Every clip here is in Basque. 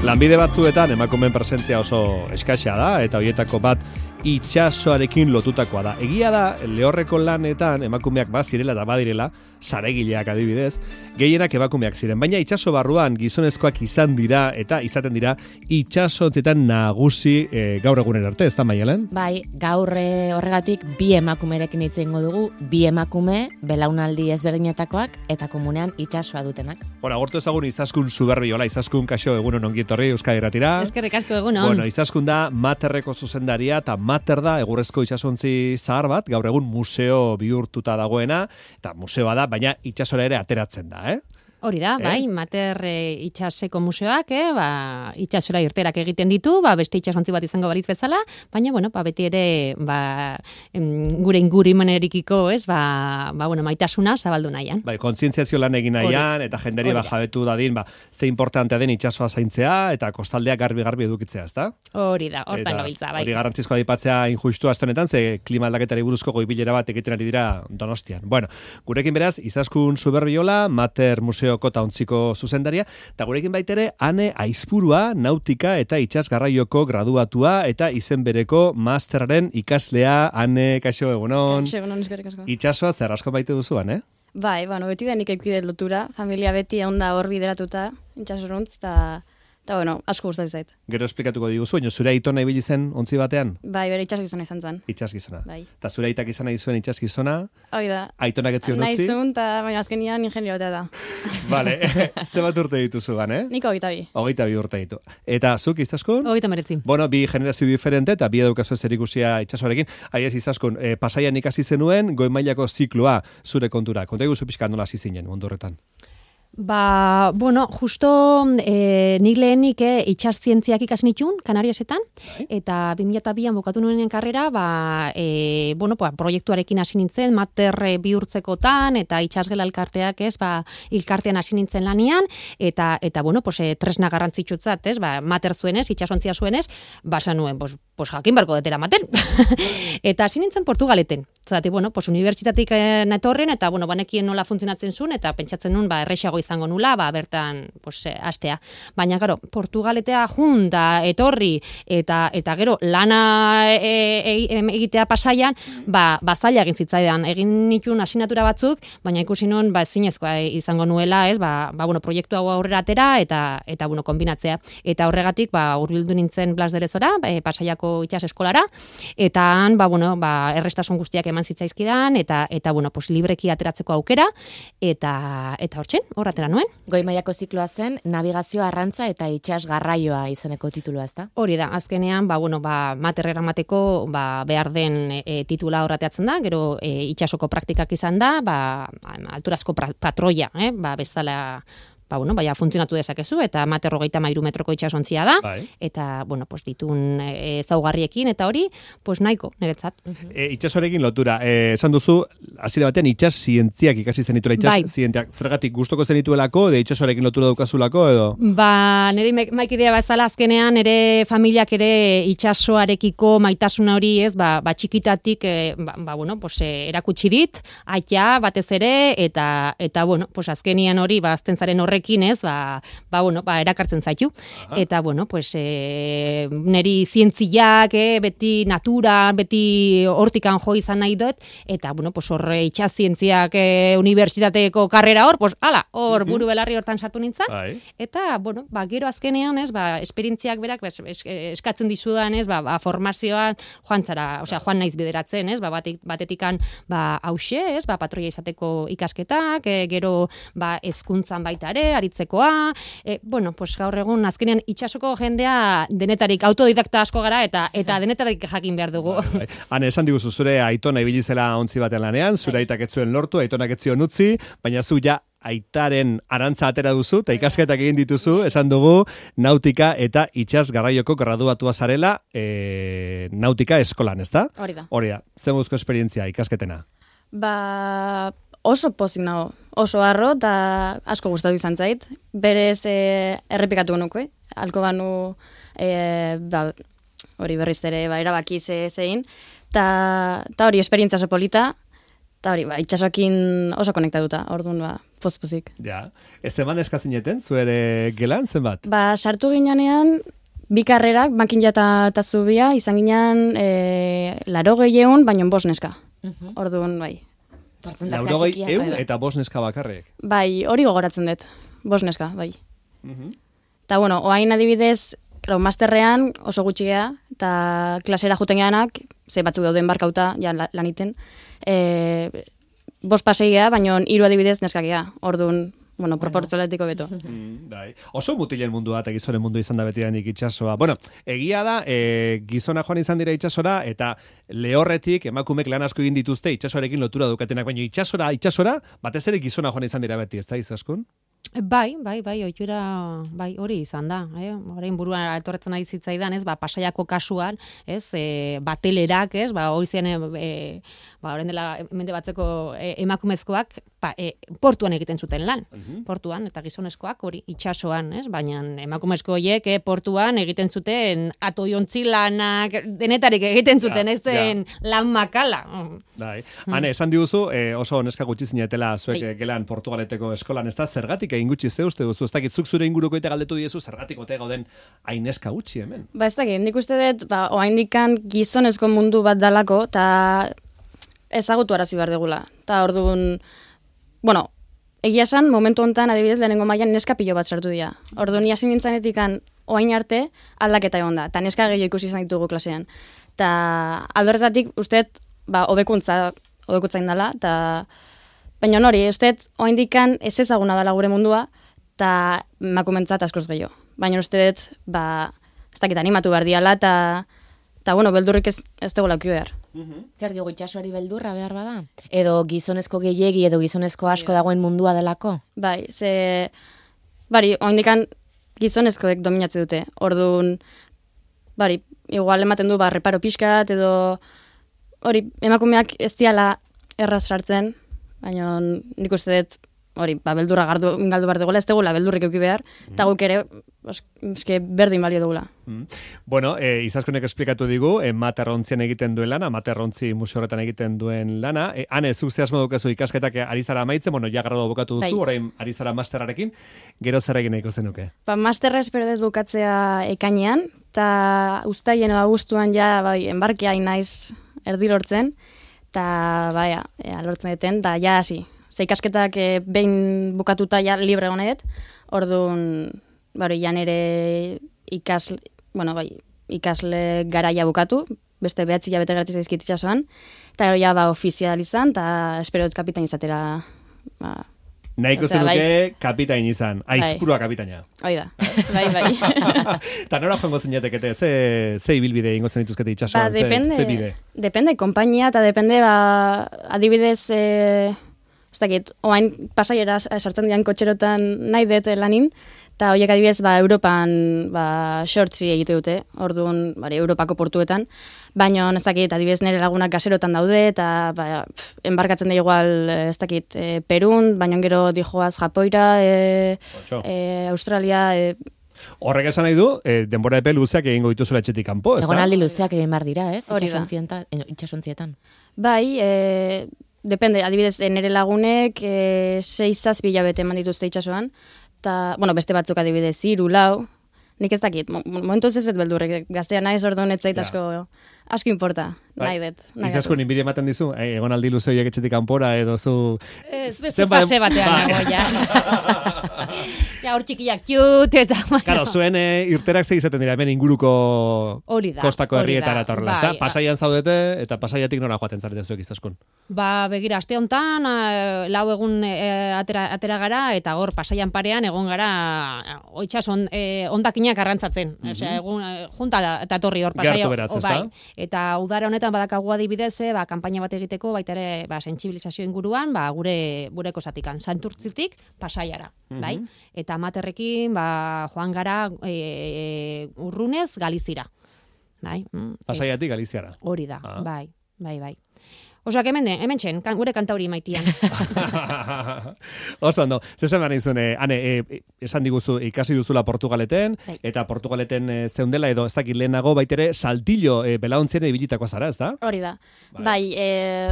Lanbide batzuetan emakumeen presentzia oso eskaxea da, eta horietako bat itsasoarekin lotutakoa da. Egia da, lehorreko lanetan emakumeak bazirela eta badirela, saregileak adibidez, gehienak emakumeak ziren. Baina itsaso barruan gizonezkoak izan dira eta izaten dira itsasontzetan nagusi gaur egunen arte, ez da Maialen? Bai, gaur horregatik bi emakumerekin hitz egingo dugu, bi emakume belaunaldi ezberdinetakoak eta komunean itsasoa dutenak. Agortu ezagun Izaskun Zuberbiola, Izaskun kaixo egunon ongi etorri Euskadi Irratira. Eskerrik asko egunon. Bueno, Izaskun da Materreko zuzendaria eta Mater da egurrezko itsasontzi zahar bat, gaur egun museo bihurtuta dagoena, eta museoa da, baina itsasora ere ateratzen da, Hori da, bai, Mater itsaseko museoak, itsasora irterak egiten ditu, beste itsasontzi bat izango balitz bezala, baina, beti ere, gure ingurimenerikiko, maitasuna zabaldu nahian. Bai, kontzientziazio lan egin nahian, eta jenderi jabetu dadin, ze importantea den itsasoa zaintzea, eta kostaldea garbi edukitzea, ezta? Hori da, hortan gabiltza, bai. Hori garrantzizkoa aipatzea injustua astonetan, ze klima aldaketari buruzko goibilera bat egiten ari dira Donostian. Bueno, gurekin beraz, Izaskun Zuberbiola, Mater Museo eta ontziko zuzendaria, eta gurekin baitere Ane Aizpurua, nautika eta itsas garraioko graduatua eta izen bereko masterren ikaslea. Ane, kaixo egunon. Kaixo egunon, eskerrik asko. Itsasoa zer asko baite duzuan, Bai, beti da nik eukide lotura, familia beti onda hor bideratuta, itsasoruntz, eta asko gustatzen zait. Gero esplikatuko diguzu, zure aitona ibili zen ontzi batean? Bai, bere itsasgizona izan zen. Itsasgizona. Bai. Eta zure aitak izan nahi zuen itsasgizona? Hoi da. Aitonak etzion utzi? Nahi zuen, baina azkenian ingenio batea da. Vale, ze bat urte dituzu gan, Nik 22. 22 urte ditu. Eta zuk, Izaskun? 29. Bueno, bi generazio diferente eta bi edukazu zerikusia itsasoarekin. Aiez, Izaskun, Pasaian ikasi zenuen goi mailako zikloa zure kontura. Konta iguzu pixka nola hasi zinen mundu horretan. Justo nik lehenik itsas zientziak ikasi nituen Kanariasetan, eta 2002an bukatu nuen karrera, proiektuarekin hasi nintzen, Mater bihurtzekotan, eta itsasgela elkarteak, elkartean hasi nintzen lanian, eta tresna garrantzitsutzat, Mater zuenez, itsasontzia zuenez, nuen, jakin barko detera Mater. Eta hasi nintzen Portugaleten. Zati, unibertsitatik netorren, eta, banekien nola funtzionatzen zuen, eta pentsatzen nuen, errexago izango nula, bertan, astea. Baina, gero, Portugaletea junta, etorri, eta gero, lana egitea Pasaian, zaila egin zitzaidan. Egin nituen asignatura batzuk, baina ikusi nuen, ezinezkoa izango nuela, proiektu hau aurrera atera, eta konbinatzea. Eta horregatik, hurbildu nintzen Blas de Lezora, Pasaiako itsas eskolara, eta han, errestasun guztiak eman zitzaizkidan, eta libreki ateratzeko aukera, eta hor atera nuen. Goi mailako zikloa zen, navigazio arrantza eta itsas garraioa izeneko titulua, ezta? Hori da, azkenean, Mater eramateko behar den titula horrateatzen da, gero itsasoko praktikak izan da, alturazko patroia, bezala, funtzionatu dezakezu, eta Mater 33 metroko itsasontzia da, eta, ditun zaugarriekin, eta hori, nahiko, niretzat. Itsasoarekin lotura, esan duzu, hasiera batean itsas zientziak ikasi zenituela, itsas zientziak, zergatik gustoko zenituelako, itsasoarekin lotura daukazulako, edo? Nire maikidea bezala azkenean, ere familiak ere itsasoarekiko maitasuna hori, txikitatik, erakutsi dit, aitea batez ere, eta azkenian hori, azten zaren horrekin, erakartzen zaitu. Eta, niri zientziak, beti natura, beti hortikan jo izan nahi dut, eta, horre itsas zientziak unibertsitateko karrera hor, buru belarri hortan sartu nintzen. Eta, gero azkenean, esperientziak berak, eskatzen dizudan, formazioan, joan naiz bideratzen, batetikan, hause, patroia izateko ikasketak, gero, hezkuntzan baita ere, aritzekoa, gaur egun azkenean itsasoko jendea denetarik autodidakta asko gara eta denetarik jakin behar dugu. Hane, esan diguzu zure aitona ibili zela ontzi baten lanean, zure aitak ez zuen lortu, aitonak ez zion utzi, baina zu ja aitaren arantza atera duzu, eta ikasketak egin dituzu, esan dugu, nautika eta itsas garraioko graduatua zarela nautika eskolan, ezta? Hori da. Hori da, zen guzko esperientzia ikasketena? Oso pozik nago, oso harro, eta asko gustatu izan zait. Berez errepikatu nuke, halko banu hori berriz ere erabaki zein, eta hori esperientzia oso polita, Eta hori, itxasoakin oso konektatuta, orduan, pozpozik. Ja. Ez eman eskazineten, zuere gelan, zenbat? Sartu ginean, bi karrerak, makinja eta zubia, izan ginean 80 baino 5 neska. Orduan, bai. 80 eta 5 neska bakarrek. Bai, hori gogoratzen dut, 5 neska, bai. Eta, bueno, oain adibidez, masterrean oso gutxi gea, eta klasera juten geanak, ze batzuk dauden barkauta, ja laniten, 5 pasei gea, baino 3 adibidez neskak gea, orduan, bueno, proportzionaletiko beto. Bai. Oso mutilen mundua eta gizonen mundu izan da betidanik itsasoa. Bueno, egia da, gizona joan izan dira itsasora, eta lehorretik emakumek lan asko egin dituzte itsasoarekin lotura dukatenak, baina itsasora, batez ere gizona joan izan dira beti, ez da, Izaskun? Bai, ohitura, bai, hori izan da, orain buruan etorretzen ari zitzaidan, ez, Pasaiako kasuan, ez, batelerak, ez, hori zen, orain dela mende batzeko emakumezkoak, portuan egiten zuten lan, portuan, eta gizonezkoak hori itsasoan, ez, baina emakumezko horiek portuan egiten zuten atoiontzi lanak, denetarik egiten zuten, ez zen lan makala. Bai, Ane, esan diguzu, oso neska gutxi zinetela zuek gelan Portugaleteko eskolan, ez da, zergatik egin gutxi ze uste duzu, ez dakit zuk zure inguruko eta galdetu diezu, zergatik ote gauden hain neska gutxi hemen? Ez dakit, nik uste dut, oaindikan gizonezko mundu bat dalako, eta ezagutu arazi behar degula. Eta orduan, bueno, egia esan, momentu honetan, adibidez, lehenengo mailan neska pilo bat sartu dira. Orduan, hasi nintzanetikan oain arte aldaketa egon da, eta neska gehiago ikusi izan ditugu klasean. Eta aldorretatik, usteet, hobekuntza indala, eta baina hori, usteet, oaindikan ez ezaguna dela gure mundua, eta emakumentzat askoz gehiago. Baina usteet, ez dakit animatu behar diala, eta bueno, beldurrik ez dugu lauki behar. Zer diogu itxasoari beldurra behar bada? Edo gizonezko gehiegi, edo gizonezko asko dagoen mundua delako? Bai, oaindikan gizonezkoek dominatze dute. Orduan, igual ematen du, reparo pixkat, edo hori, emakumeak ez diala erraz sartzen, baina nik uste dut, hori, beldurra galdu behar dugula, ez dugula beldurrik euki behar, eta guk ere, eske berdin balio dugula. Bueno, Izaskonek esplikatu digu, materrontzien egiten duen lana, materrontzi museo horretan egiten duen lana. Hane, zuk zehazmo dukezu ikasketak ari zara amaitzen, bueno, ja gradu bukatu duzu, orain ari zara masterarekin, gero zer egin nahiko zenuke? Masterra espero dut bukatzea ekainean, eta uztaien edo abuztuan ja, enbarkea naiz erdi lortzen, eta lortzen duten, eta ja hasi. Ze ikasketak behin bukatuta ja libre honet, orduan, jan ere ikasle garaia bukatu, beste 9 hilabete gratis zaizkit itsasoan, eta gero ja ofizial izan, eta espero dut kapitain izatera. Nahiko zenuke kapitain izan, aizpurua kapitaina. Hoi da, bai. Eta nora joango zinetekete, ze ibilbide ingo zen dituzkete itsasoan, ze bide? Depende, kompainia, eta depende, adibidez, ez dakit, oain pasaiera sartzen dian kotxerotan nahi dut lanin, eta horiek adibidez, Europan shortzi egite dute, orduan, Europako portuetan, baina ez dakit, adibidez nire lagunak gaserotan daude, eta enbarkatzen da igual, ez dakit, Perun, baina gero dijoaz Japoira, Australia, Horrek esan nahi du, denbora epe luzeak egingo dituzula etxetik kanpo, ez da? Egonaldi luzeak egin behar dira, ez? Itxasontzietan. Bai, depende, adibidez, nire lagunek 6-7 hilabete eman dituzte itsasoan, eta, beste batzuk adibidez, 3-4, nik ez dakit, momentuz ez dut beldurrek, gaztea naiz orduan ez zait asko importa, nahi dut. Izasko, ninbiri ematen dizu, egonaldi luze horiek etxetik kanpora, edo zu... Beste fase batean nago, ja. Ja, hor txikiak kiut, eta... Karo, zuen irterak izaten dira, hemen inguruko kostako herrietara etorrela, ez da? Pasaian zaudete, eta pasaiatik nora joaten zarete zuek Izaskun? Begira, aste honetan, 4 egun atera gara, eta hor pasaian parean egon gara, itxason ondakinak arrantzatzen. Egun, junta eta torri hor pasaia. Gertu beraz, ez da? Eta udara honetan badakagu adibidez, kanpaina bat egiteko, baita ere, sentsibilizazio inguruan, gure kosatikan, Santurtzitik pasaiara, bai? Eta amaterrekin, joan gara urrunez Galizira. Bai? Pasaiatik Galiziara. Hori da, bai. Osea, hemen txen, gure kantauri maitian. Oso ondo, zesan behar nizun, esan diguzu ikasi duzula Portugaleten, eta Portugaleten zeundela edo ez dakit lehenago baitere saltillo belaontzien ibilitakoa zara, ez da? Hori da. Bai,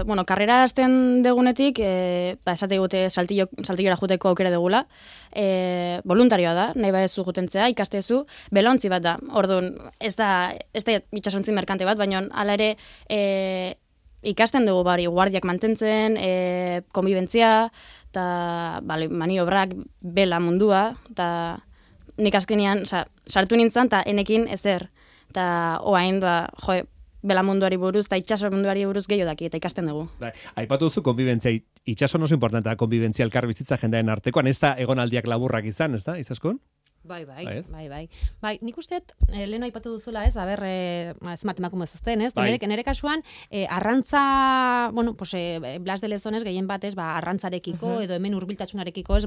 bueno, karrera hasten degunetik, esate gute saltillora juteko aukera degula, voluntarioa da, nahi badezu jutentzea, ikastezu, belaontzi bat da. Orduan, ez da itxasontzi merkante bat, baina hala ere ikasten dugu bari guardiak mantentzen, konbibentzia, eta maniobrak, bela mundua, eta nik azkenean, sartu nintzen, eta enekin ezer. Eta oain, bela munduari buruz, eta itxaso munduari buruz gehiago daki, eta ikasten dugu. Aipatu duzu konbibentzia, itxaso oso importantea, konbibentzia elkar bizitza jendearen artekoan, ez da egonaldiak laburrak izan, ez da, izaskun? Bai. Bai, nik usteet, leheno aipatu duzula ez, ez matemakumo ezazten, ez? Nere kasuan, arrantza, bueno, pues, Blas de Lezones gehien batez, arrantzarekiko, edo hemen hurbiltasunarekiko, ez,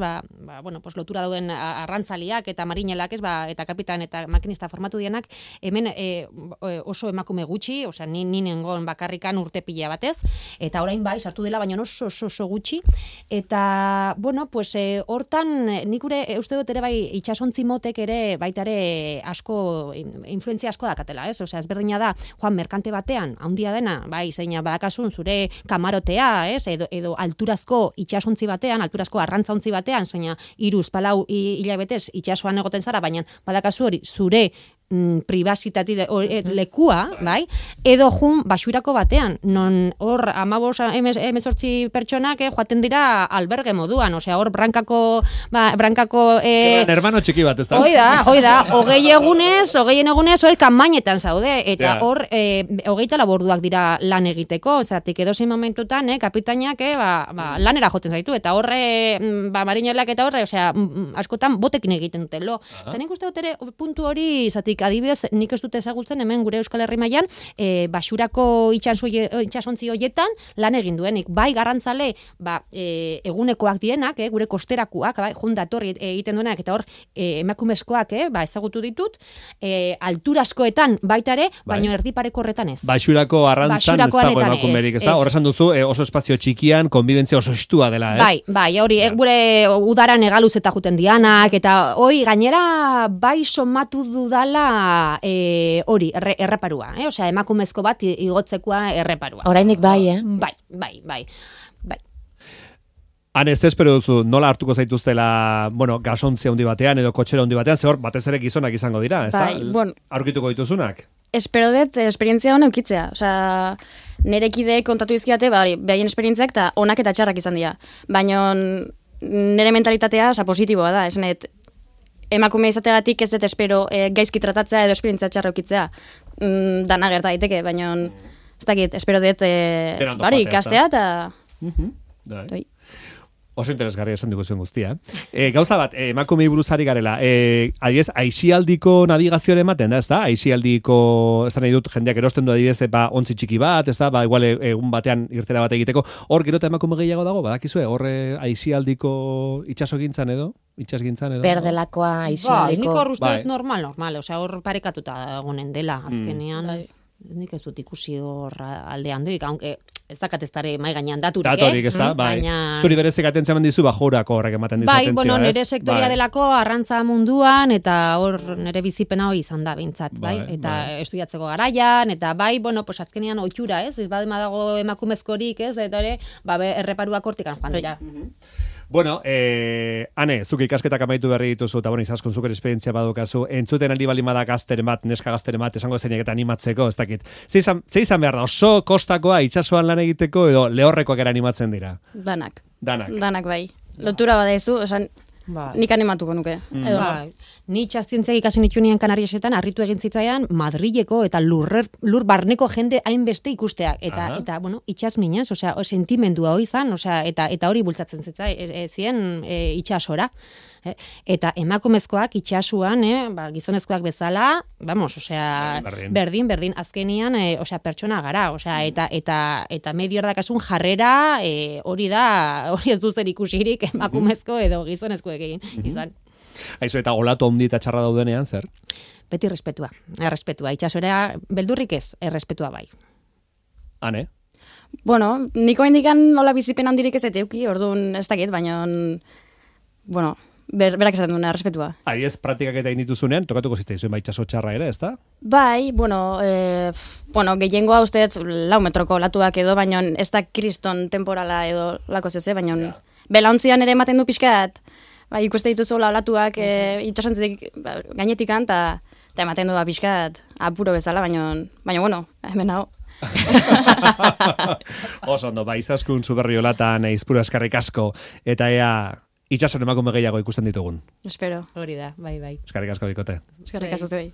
bueno, pues, lotura duen arrantzaliak eta marinelak, ez, eta kapitan eta makinista formatu dienak, hemen oso emakume gutxi, osea, ni nengon bakarrikan urte pila batez, eta orain bai, sartu dela, baina oso gutxi, eta, bueno, pues, hortan, nik uste dut ere bai, itxasontzi motek ere baita ere asko influentzia asko dakatela, ez? Osea, ezberdina da joan merkante batean, handia dena, bai, zeina badakasun zure kamarotea, ez? Edo alturazko itsasontzi batean, alturazko arrantzaontzi batean, zeina 3-4 hilabetez itsasoan egoten zara, baina badakazu hori zure pribazitati lekua, bai? Edo jun basurako batean, non hor 15-18 pertsonak joaten dira alberge moduan, osea, hor brankako hermano txiki bat, ez da? Hoi da, 20 egunez, hor kanbainetan zaude, eta hor 24 orduak dira lan egiteko, ozatik edozein momentutan, kapitainak lanera jotzen zaitu, eta horre, marinelak eta horre, osea, askotan botekin egiten dutelo. Eta nik uste dut ere puntu hori, zatik, adibidez, nik ez dute ezagutzen hemen gure Euskal Herri mailan basurako itsasontzi hoietan lan egin duenik. Bai garrantzale, egunekoak dienak, gure kosterakoak, jun datorri egiten duenak, eta hor emakumezkoak ezagutu ditut, alturaskoetan baita ere, baina erdipareko horretan ez. Basurako arrantzan ez dago emakumerik, ez da? Hor esan duzu, oso espazio txikian, konbibentzia oso estua dela, ez? Bai, hori, gure udaran egaluz eta juten dianak, eta hoi, gainera, bai somatu dudala hori, erreparua, osea, emakumezko bat igotzekoa erreparua. Orainik bai, Bai. Han ez espero duzu, nola hartuko zaituztela, bueno, gasontzia handi batean edo kotxera handi batean, ze hor, batez ere gizonak izango dira, ez da? Bueno, aurkituko dituzunak? Espero dut, esperientzia hona eukitzea. Osea, nire kide kontatu izkiate, behaien esperientziak eta onak eta txarrak izan dira. Baina nire mentalitatea, positiboa da, esanet, emakume izateagatik ez dut espero gaizki tratatzea edo esperientzia txarra eukitzea. Dana gerta daiteke, baina ez dakit, espero dut ikastea eta... Oso interesgarria esan dugu zuen guztia. Gauza bat, emakume buruzari garela, adibidez, aisialdiko navigazioa ematen da, ez da? Aisialdiko, ez da nahi dut, jendeak erosten du adibidez, ontzi txiki bat, ez da? Igual egun batean irtera bat egiteko. Hor, gero eta emakume gehiago dago, badakizue? Hor, aisialdiko itxasogintzan edo? Itxasgintzan edo? Berdelakoa, aisialdiko... Nik hor uste normal, osea, hor parekatuta gonen dela, azkenean. Nik ez dut ikusi hor aldean durik, aunque ez dakat ez dare mai gainean daturik, Datorik, ez da, bai. Zuri berezik atentzen dizu, jorako horrek ematen dizu atentzioa, ez? Bai, nire sektoria delako arrantza munduan, eta hor nire bizipena hori izan da bintzat, bai? Eta estudiatzeko garaian, eta bai, pues azkenean oitxura, ez? Ez badema dago emakumezkorik, ez? Eta ere, erreparuak hortikan joan dira. Bueno, Ane, zuk ikasketak amaitu berri dituzu, eta izaskun zuker esperientzia badukazu, entzuten aldi balima da gazteren bat, neska gazteren bat, esango zeinek eta animatzeko, ez dakit. Ze izan behar da, oso kostakoa itsasoan lan egiteko edo lehorrekoak era animatzen dira? Danak bai. Lotura badaizu, esan, nik animatuko nuke. Ni txazientziak ikasin itxunian Kanariesetan, harritu egin zitzaian, Madrileko eta lur barneko jende hainbeste ikusteak. Eta bueno, itxas minez, osea, sentimendua hori izan, osea, eta hori bultzatzen zien itxasora. Eta emakumezkoak itxasuan, gizonezkoak bezala, vamos, osea, berdin, azkenian, osea, pertsona gara, osea, eta medio erdakasun jarrera, hori ez duzer ikusirik emakumezko edo gizonezkoekin izan. Aizu, eta olatu handi eta txarra daudenean, zer? Beti errespetua, itxasora beldurrik ez, errespetua bai. Ane? Bueno, niko indikan nola bizipen handirik ez eteuki, orduan ez dakit, baina, bueno, berak esaten duen errespetua. Aiez praktikak eta indituzunean, tokatuko zitzaizuen baitxaso txarra ere, ezta? Bai, bueno, gehiengoa usteet 4 metroko olatuak edo, baina ez da kriston temporala edo lako zeze, baina belauntzian ere ematen du pixkat, bai, ikuste dituzu olatuak itxasontzik gainetikan, eta ematen du pixkat apuro bezala, baina bueno, hemen hau. Oso ondo, izaskun Zuberriolatan Izpuru eskarrik asko, eta ea itxason emakume gehiago ikusten ditugun. Espero. Hori da, bai. Eskarrik asko bikote. Eskerrik asko zuei.